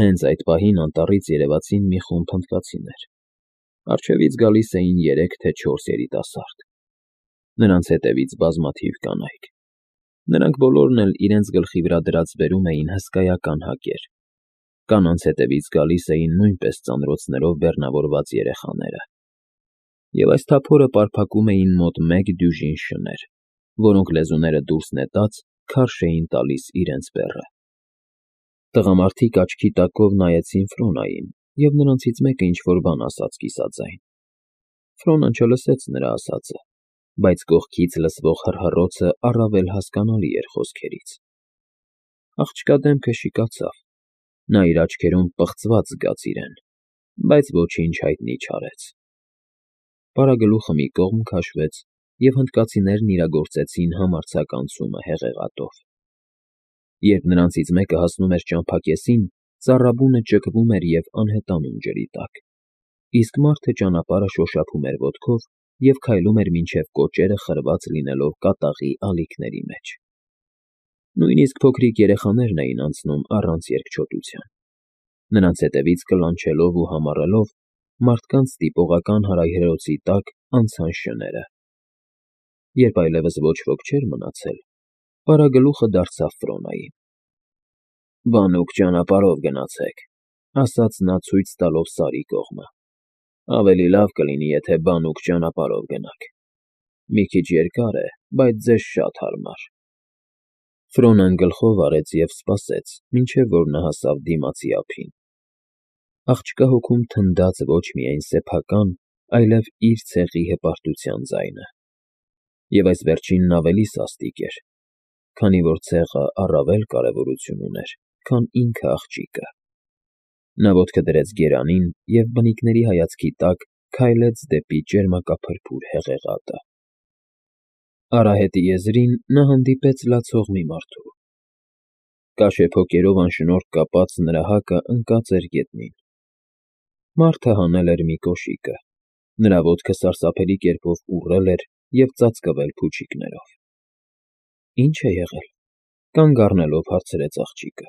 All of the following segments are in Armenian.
Հենց այդ պահին անտառից երևացին մի խումբ հնդկացիներ։ Առջևից գալիս էին 3 թե 4 երիտասարդ։ Նրանց հետևից բազմաթիվ կանայք։ Նրանք բոլորն էլ իրենց գլխի վրա դրած բերում էին հսկայական հակեր։ Կանանց հետևից գալիս էին նույնպես ծանրոցներով բեռնավորված երեխաները։ Եվ այս թափորը պարփակում էին մոտ 1 դյուժին շներ, որոնք լեզուները դուրս նետած քարշ էին տալիս իրենց բեռը։ Տղամարդիկ աչքի տակով նայեցին Ֆրոնային, և նրանցից մեկը ինչ-որ բան ասաց կիսաձայն։ Ֆրոնան չլսեց նրա ասածը, բայց կողքից լսվող հռհռոցը առավել հասկանալի էր խոսքերից։ Աղջկա դեմքը շիկացավ, նա իր աչքերում պղծված զգաց իրեն, բայց ոչինչ հայտնի չարեց։ Պարագլուխը մի կողմ քաշվեց, և հնդկացիներն իրագործեցին համարձակ անցումը հեղեղատով։ Երբ նրանցից մեկը հասնում էր ճամփակեսին, ծառաբունը ճկվում էր և անհետանում ջրի տակ, իսկ մարդը ճանապարհը շոշափում էր ոտքով և քայլում էր մինչև կոճերը խրված լինելով կատաղի ալիքների մեջ։ Նույնիսկ փոքրիկ երեխաներն էին անցնում առանց երկչոտության։ Նրանց հետևից կլանչելով ու համառելով, մարդկանց տիպողական հարայհրոցի տակ անցան շները։ Երբ այլևս ոչ ոք չէր մնացել, Պարագլուխը դարձավ Ֆրոնային։ «Բանուկ ճանապարհով գնացեք», ասաց նա ցույց տալով Սարի կողմը։ «Ավելի լավ կլինի, եթե բանուկ ճանապարհով գնաք։ Մի քիչ երկար է, բայց ձեզ շատ հարմար»։ Ֆրոնան գլխով արեց և սպասեց, մինչև որ նա հասավ դիմացի ափին։ Աղջկա հոգում թնդաց ոչ միայն սեփական, այլև իր ցեղի հպարտության ձայնը։ Եվ այս վերջինն ավելի սաստիկ էր, քանի որ ցեղը առավել կարևորություն ուներ, քան ինքը աղջիկը։ Նա ոտքը դրեց գերանին և բնիկների հայացքի տակ քայլեց դեպի ճերմակափրփուր հեղեղատը։ Արահետի եզրին նա հանդիպեց լացող մի մարդու։ Կաշեփոկերով անշնորհք կապած նրա հակը ընկած էր գետնին։ Մարդը հանել էր մի կոշիկը, նրա ոտքը սարսափելի կերպով ուռել էր և ծածկվել փուչիկներով։ «Ի՞նչ է եղել», կանգ առնելով հարցրեց աղջիկը։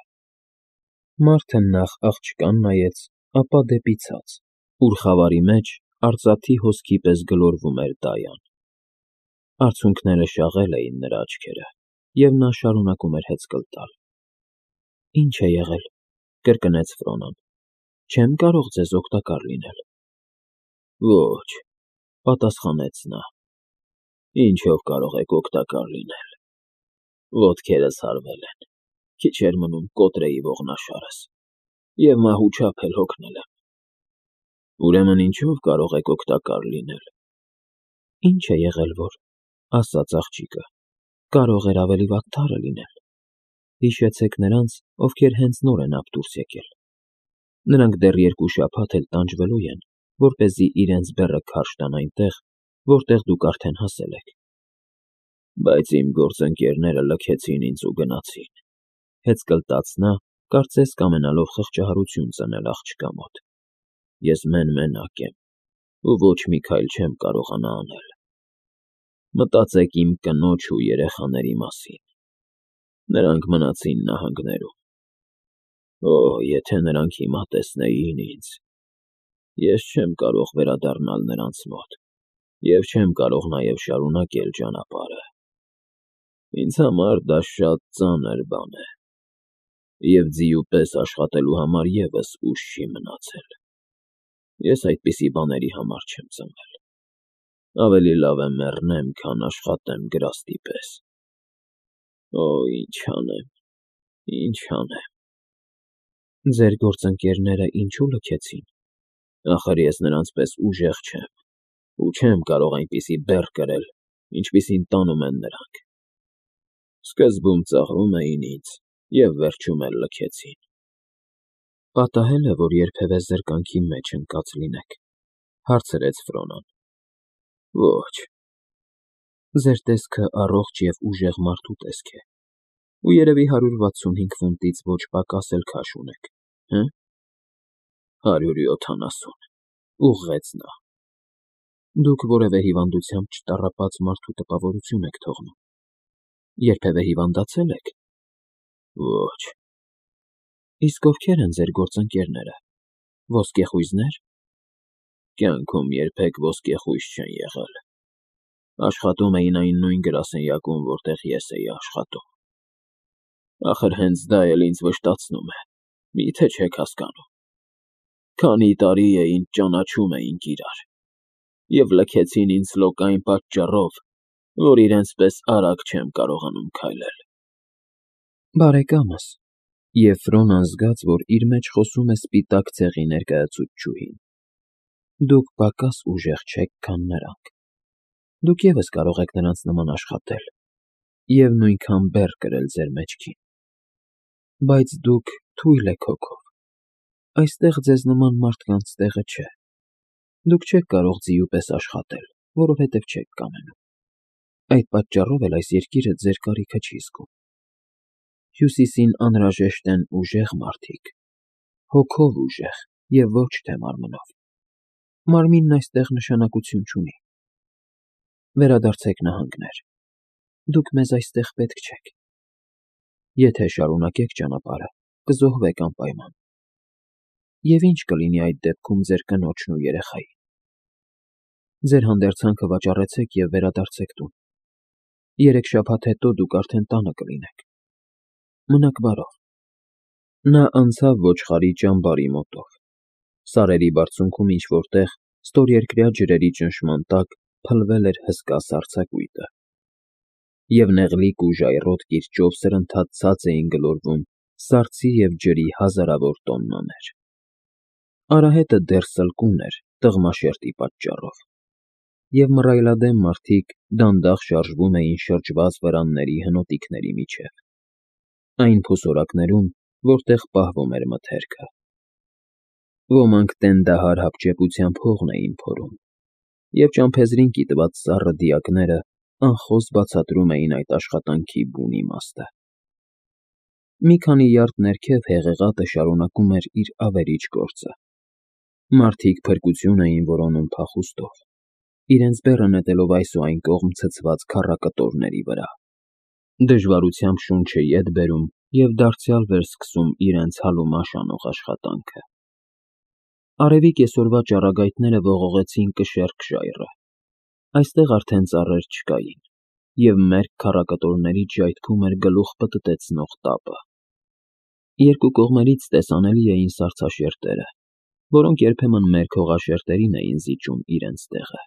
Մարդը նախ աղջկան նայեց, ապա դեպի ցած, ուր խավարի մեջ արծաթի հոսքի պես գլորվում էր Դայան։ Արցունքները շաղել էին նրա աչքերը, և նա շարունակում էր հեծկլ տալ։ «Ի՞նչ է եղել», կրկնեց Ֆրոնան։ «Չեմ կարող ձեզ օգտակար լինել»։ «Ոչ», պատասխանեց նա։ «Ինչով կարող եք օգտակար լինել։ Ոտքերս հարվել են, քիչ էր մնում կոտրեի ողնաշարս, և մահու չափ էլ հոգնել եմ»։ «Ուրեմն ինչով կարող եք օգտակար լինել»։ «Ինչ է եղել որ», ասաց աղջիկը, «կարող էր ավելի վատթարը լինել։ Հիշեցեք նրանց, ովքեր հենց նոր են ափ դուրս եկել։ Նրանք դեռ 2 շաբաթ էլ տանջվելու են, որպեսզի իրենց բեռը քարշ տան այնտեղ, որտեղ դուք արդեն հասել եք»։ «Բայց իմ գործընկերները լքեցին ինձ ու գնացին», հեծկլտաց նա, կարծես կամենալով խղճահարություն ծնել աղջկա մոտ։ «Ես մեն֊մենակ եմ ու ոչ մի քայլ չեմ կարողանա անել։ Մտածեք իմ կնոջ ու երեխաների մասին։ Նրանք մնացին նահանգներում։ Օ, եթե նրանք հիմա տեսնեին ինձ։ Ես չեմ կարող վերադառնալ նրանց մոտ և չեմ կարող նաև շարունակել ճանապարհը։ Ինձ համար դա շատ ծանր բան է, և ձիու պես աշխատելու համար ևս ուժ չի մնացել։ Ես այդպիսի բաների համար չեմ ծնվել։ Ավելի լավ է մեռնեմ, քան աշխատեմ գրաստի պես։ Օ, ինչ անեմ, ինչ անեմ»։ «Ձեր գործընկերները ինչու լքեցին»։ «Ախր ես նրանց պես ուժեղ չեմ ու չեմ կարող այնպիսի բեռ կրել, ինչպիսին տանում են նրանք։ Սկզբում ծաղրում էին ինձ և վերջում էլ լքեցին»։ «Պատահե՞լ է, որ երբևէ զրկանքի մեջ ընկած լինեք», հարցրեց Ֆրոնան։ «Ոչ»։ «Ձեր տեսքը առողջ և ուժեղ մարդու տեսք է, ու երևի 165 ֆունտից ոչ պակաս էլ քաշ ունեք, հը»։ 170, ուղղեց նա։ «Դուք որևէ հիվանդությամբ չտառապած մարդու տպավորություն եք թողնում։ Երբևէ հիվանդացե՞լ եք»։ «Ոչ»։ Իսկ ովքեր են ձեր գործընկերները, ոսկեխույզնե՞ր։ Կյանքում երբեք ոսկեխույզ չեն եղել, աշխատում էին այն նույն գրասենյակում, որտեղ ես էի աշխատում, ախր հենց դա էլ ինձ վշտացնում է, միթե չեք հասկանում, քանի տարի է ինձ ճանաչում էինք իրար, և լքեցին ինձ լոկ այն պատճառով, որ իրենց պես արագ չեմ կարողանում քայլել։ Բարեկամս, և Ֆրոնան զգաց, որ իր մեջ խոսում է սպիտակ ցեղի ներկայացուցչուհին, դուք պակաս ուժեղ չեք, քան նրանք, դուք ևս կարող եք նրանց նման աշխատել և նույնքան բեռ կրել ձեր մեջքին, բայց դուք թույլ եք հոգով, այստեղ ձեզ նման մարդկանց տեղը չէ, դուք չեք կարող ձիու պես աշխատել, որովհետև չեք կամենում, այդ պատճառով էլ այս երկիրը ձեր կարիքը չի զգում, Հյուսիսին անհրաժեշտ են ուժեղ մարդիկ, հոգով ուժեղ և ոչ թե մարմնով, մարմինն այստեղ նշանակություն չունի, վերադարձեք նահանգներ, դուք մեզ այստեղ պետք չեք, եթե շարունակեք ճանապարհը, կզոհվեք անպայման, և ինչ կլինի այդ դեպքում ձեր կնոջն ու երեխային, ձեր հանդերձանքը վաճառեցեք և վերադարձեք տուն, 3 շաբաթ հետո դուք արդեն տանը կլինեք, մնաք բարով։ Նա անցավ ոչխարի ճամբարի մոտով, սարերի բարձունքում ինչ-որ տեղ ստորերկրյա ջրերի ճնշման տակ փլվել էր հսկա սառցակույտը, և նեղլիկ ու ժայռոտ կիրճով սրընթաց ցած էին գլորվում սառցի և ջրի հազարավոր տոննաներ։ Արահետը դեռ սլկուն էր տղմաշերտի պատճառով, և մռայլադեմ մարդիկ դանդաղ շարժվում էին շրջված վրանների հնոտիքների միջև, այն փոսորակներում, որտեղ պահվում էր մթերքը։ Ոմանք տենդահար հապճեպությամբ հողն էին փորում, և ճամփեզրին կիտված սառը դիակները անխոս բացատրում էին այդ աշխատանքի բուն իմաստը։ Մի քանի յարդ ներքև հեղեղատը շարունակում էր իր ավերիչ գործը։ Մարդիկ փրկություն էին որոնում փախուստով, իրենց բեռը նետելով այս ու այն կողմ ցցված քառակտորների վրա, դժվարությամբ շունչը ետ բերում և դարձյալ վերսկսում իրենց հալումաշ անող աշխատանքը։ Արևի կեսօրվա ճառագայթները ողողեցին կշեռք ժայռը, այստեղ արդեն ծառեր չկային, և մերկ քառակտորներից ժայթքում էր գլուխ պտտեցնող տապը։ Երկու կողմերից տեսանելի էին սառցաշերտերը, որոնք երբեմն մերկ հողաշերտերին էին զիջում իրենց տեղը,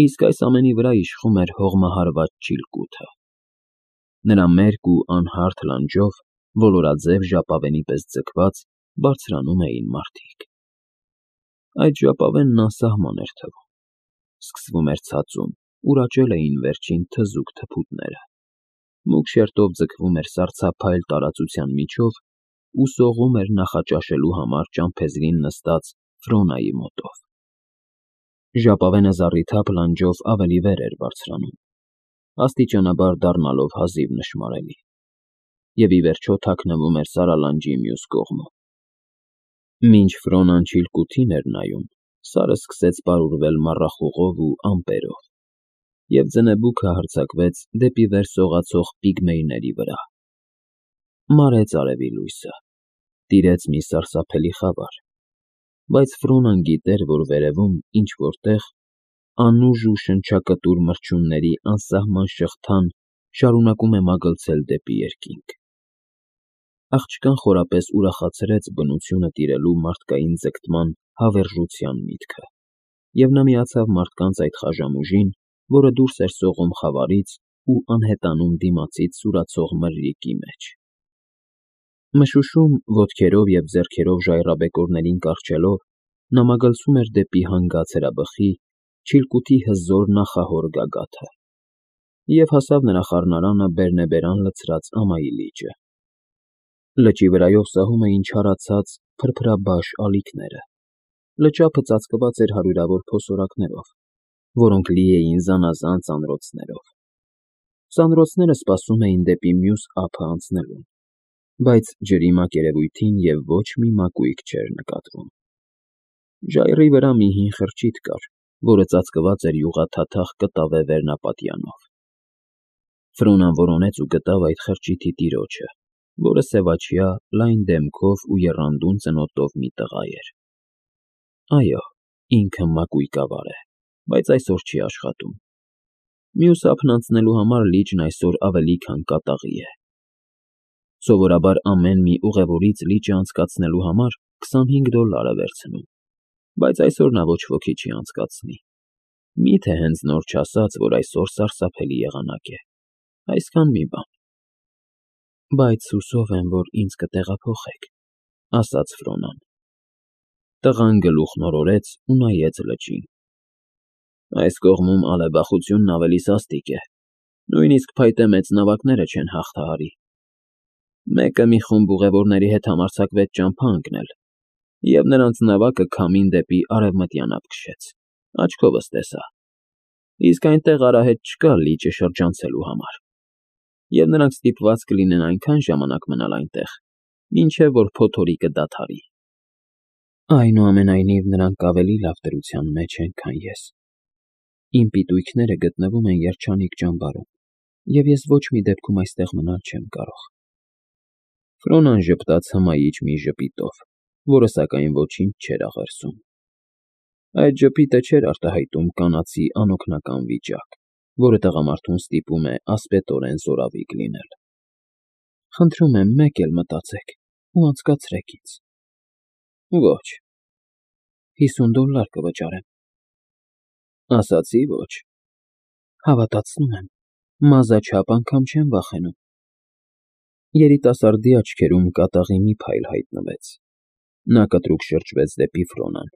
իսկ այս ամենի վրա իշխում էր հողմահարված ճիլկութը։ Նրա մերկ ու անհարթ լանջով, ոլորաձև ժապավենի պես ձգված, բարձրանում էին մարդիկ։ Այդ ժապավենն անսահման էր թվում, սկսվում էր ցածում, ուր աճել էին վերջին թզուկ թփուտները, մուգ շերտով ձգվում էր սառցափայլ տարածության միջով ու սողում էր նախաճաշելու համար ճամփեզրին նստած Ֆրոնայի մոտով։ Ժապավենը զառիթափ լանջով ավելի վեր էր բարձրանում, աստիճանաբար դառնալով հազիվ նշմարելի, և ի վերջո թաքնվում էր սարալանջի մյուս կողմում։ Մինչ Ֆրոնան ճիլկութին էր նայում, Սարը սկսեց պարուրվել մառախուղով ու ամպերով, և ձնեբուքը հարձակվեց դեպի վեր սողացող պիգմեյների վրա։ Մարեց արևի լույսը, տիրեց մի սարսափելի խավար, բայց Ֆրոնան գիտեր, որ վերևում, ինչ-որ տեղ, անուժ ու շնչակտուր մրջյունների անսահման շղթան շարունակում է մագլցել դեպի երկինք։ Աղջկան խորապես ուրախացրեց բնությունը տիրելու մարդկային ձգտման հավերժության միտքը, և նա միացավ մարդկանց այդ խաժամուժին, որը դուրս էր սողում խավարից ու անհետանում դիմացից սուրացող մրրիկի մեջ։ Մշուշում, ոտքերով և ձեռքերով ժայռաբեկորներին կառչելով, նա մագլցում էր դեպի հանգած հրաբխի, ճիլկութի հզոր նախահոր գագաթը, և հասավ նրա խառնարանը բերնեբերան լցրած ամայի լիճը։ Լճի վրայով սահում էին չարացած, փրփրաբաշ ալիքները, լճափը ծածկված էր հարյուրավոր փոսորակներով, որոնք լի էին զանազան ծանրոցներով։ Ծանրոցները սպասում էին դեպի մյուս ափը անցնելուն, բայց ջրի մակերևույթին և ոչ մի մակույկ չէր նկատվում։ Ժայռի վրա մի հին խրճիթ կար, որը ծածկված էր յուղաթաթախ կտավե վերնապատյանով։ Ֆրոնան որոնեց ու գտավ այդ խրճիթի տիրոջը, որը սևաչյա, լայն դեմքով ու եռանդուն ծնոտով մի տղա էր։ Այո, ինքը մակույկավար է, բայց այսօր չի աշխատում։ Մյուս ափն անցնելու համար լիճն այսօր ավելի քան կատաղի է։ Սովորաբար ամեն մի ուղևորից լիճը անցկացնելու համար $25 է վերցնում, բայց այսօր նա ոչ ոքի չի անցկացնի։ Միթե հենց նոր չասած, որ այսօր սարսափելի եղանակ է, այսքան մի բան։ Բայց հուսով եմ, որ ինձ կտեղափոխեք, ասաց Ֆրոնան։ Տղան գլուխն օրորեց ու նայեց լճին։ Այս կողմում ալեբախությունն ավելի սաստիկ է, նույնիսկ փայտե մեծ նավակները չեն հաղթահարի։ Մեկը մի խումբ ուղևորների հետ համարձակվեց ճամփա ընկնել, և նրանց նավակը քամին դեպի արևմտյան ափ քշեց, աչքովս տեսա, իսկ այնտեղ արահետ չկա լիճը շրջանցելու համար, և նրանք ստիպված կլինեն այնքան ժամանակ մնալ այնտեղ, մինչև որ փոթորիկը դադարի։ Այնուամենայնիվ, նրանք ավելի լավ դրության մեջ են, քան ես։ Իմ պիտույքները գտնվում են երջանիկ ճամբարում, և ես ոչ մի դեպքում այստեղ մնալ չեմ կարող։ Ֆրոնան ժպտաց հմայիչ մի ժպիտով, որը սակայն ոչինչ չէր աղերսում։ Այդ ժպիտը չէր արտահայտում կանացի անօգնական վիճակ, որը տղամարդուն ստիպում է ասպետորեն զորավիգ լինել։ Խնդրում եմ, մեկ էլ մտածեք ու անցկացրեք ինձ։ Ոչ, $50 կվճարեմ։ Ասացի ոչ։ Հավատացնում եմ, մազաչափ անգամ չեմ վախենում։ Երիտասարդի աչքերում կատաղի մի փայլ հայտնվեց։ Նա կտրուկ շրջվեց դեպի Ֆրոնան,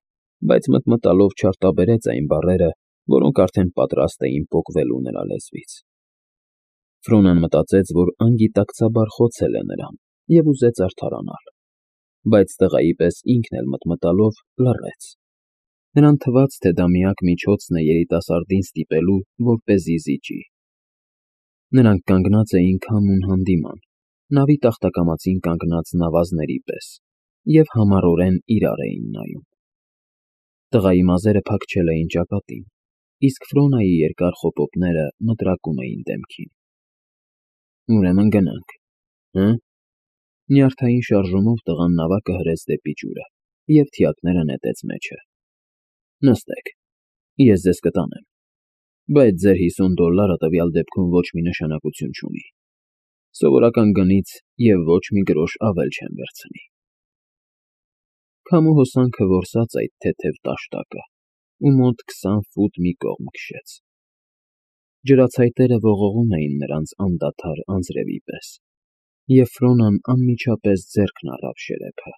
բայց մտմտալով չարտաբերեց այն բառերը, որոնք արդեն պատրաստ էին պոկվելու նրա լեզվից։ Ֆրոնան մտածեց, որ անգիտակցաբար խոցել է նրան և ուզեց արդարանալ, բայց տղայի պես ինքն էլ մտմտալով լռեց։ Նրան թվաց, թե դա միակ միջոցն է երիտասարդին ստիպելու, որպեսզի զիջի։ Նրանք կանգնած էին քամուն հանդիման, նավի տախտակամածին կանգնած նավազների պես, և համառորեն իրար էին նայում։ Տղայի մազերը փակչել էին ճակատին, իսկ Ֆրոնայի երկար խոպոպները մտրակում էին դեմքին։ Ուրեմն գնանք, հը՞։ Նյարդային շարժումով տղան նավակը հրեց դեպի ջուրը և թիակները նետեց մեջը։ Նստեք, ես ձեզ կտանեմ, բայց ձեր $50 տվյալ դեպքում ոչ մի նշանակություն չունի։ Սովորական գնից և ոչ մի գրոշ ավել չեմ վերցնի։ Քամու հոսանքը որսաց այդ թեթև տաշտակը ու մոտ 20 ֆուտ մի կողմ քշեց։ Ջրացայտերը ողողում էին նրանց անդադար անձրևի պես, և Ֆրոնան անմիջապես ձեռքն առավ շերեփը։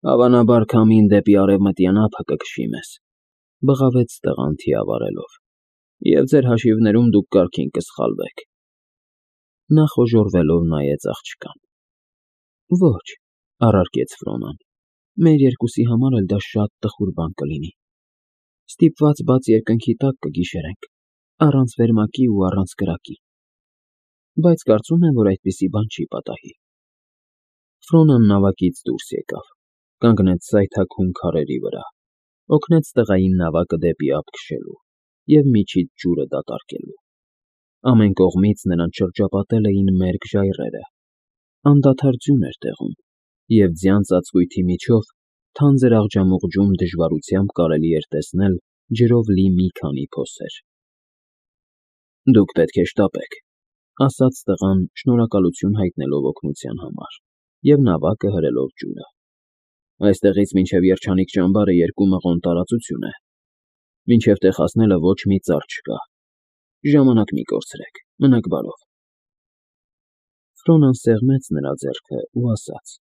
Հավանաբար քամին դեպի արևմտյան ափը կքշի մեզ, բղավեց տղան թիավարելով, և ձեր հաշիվներում դուք կարգին կսխալվեք։ Նա խոժոռվելով նայեց աղջկան։ Ոչ, առարկեց Ֆրոնան, մեր երկուսի համար էլ դա շատ տխուր բան կլինի։ Ստիպված բաց երկնքի տակ կգիշերենք, առանց վերմակի ու առանց կրակի։ Բայց կարծում եմ, որ այդպիսի բան չի պատահի։ Ֆրոնան նավակից դուրս եկավ, կանգնեց սայթաքուն քարերի վրա, օգնեց տղային նավակը դեպի ափ քշելու և միջից ջուրը դատարկելու։ Ամեն կողմից նրան շրջապատել էին մերկ ժայռերը, անդադար ձյուն էր տեղում, և ձյան ծածկույթի միջով թանձր աղջամուղջում դժվարությամբ կարելի էր տեսնել ջրով լի մի քանի փոսեր։ Դուք պետք է շտապեք, ասաց տղան, շնորհակալություն հայտնելով օգնության համար, և նավակը հրելով ջուրը։ Այստեղից մինչև երջանիկ ճամբարը 2 մղոն տարածություն է։ Մինչև տեղ հասնելը ոչ մի ծառ չկա։ Ժամանակ մի կորցրեք, մնաք բարով։ Ֆրոնան սեղմեց նրա ձեռքը ու ասաց.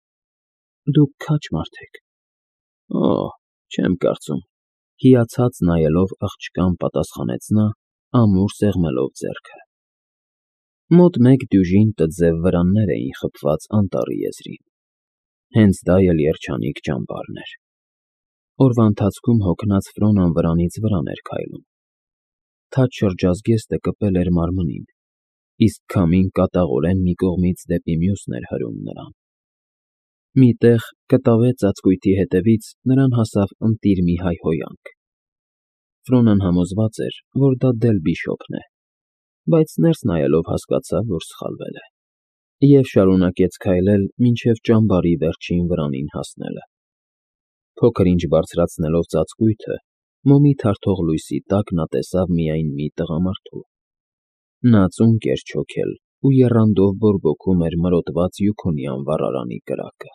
Դուք քաջ մարդ եք։ Օ, չեմ կարծում։ Հիացած նայելով աղջկան պատասխանեց նա, ամուր սեղմելով ձեռքը։ Մոտ 1 դյուժին տձև վրաններ էին խփված անտառի եզրին։ Հենց դա էլ երջանիկ ճամբարն էր։ Օրվա ընթացքում հոգնած Ֆրոնան վրանից վրան էր քայլում։ Թաց շրջազգեստը կպել էր մարմնին, իսկ քամին կատաղորեն մի կողմից դեպի մյուսն էր հրում նրան։ Մի տեղ, կտավե ծածկույթի հետևից նրան հասավ ընտիր մի հայհոյանք։ Ֆրոնան համոզված էր, որ դա դել բիշոպն է, բայց ներս նայելով հասկացավ, որ սխալվել է։ Եվ շարունակեց քայլել մինչև ճամբարի վերջին վրանին հասնելը։ Փոքր-ինչ բարձրացնելով ծածկույթը, մոմի թարթող լույսի տակ նա տեսավ միայն մի տղամարդու։ Նա ծունկ էր չոքել ու եռանդով բորբոքում էր մրոտված Յուքոնյան վառարանի կրակը։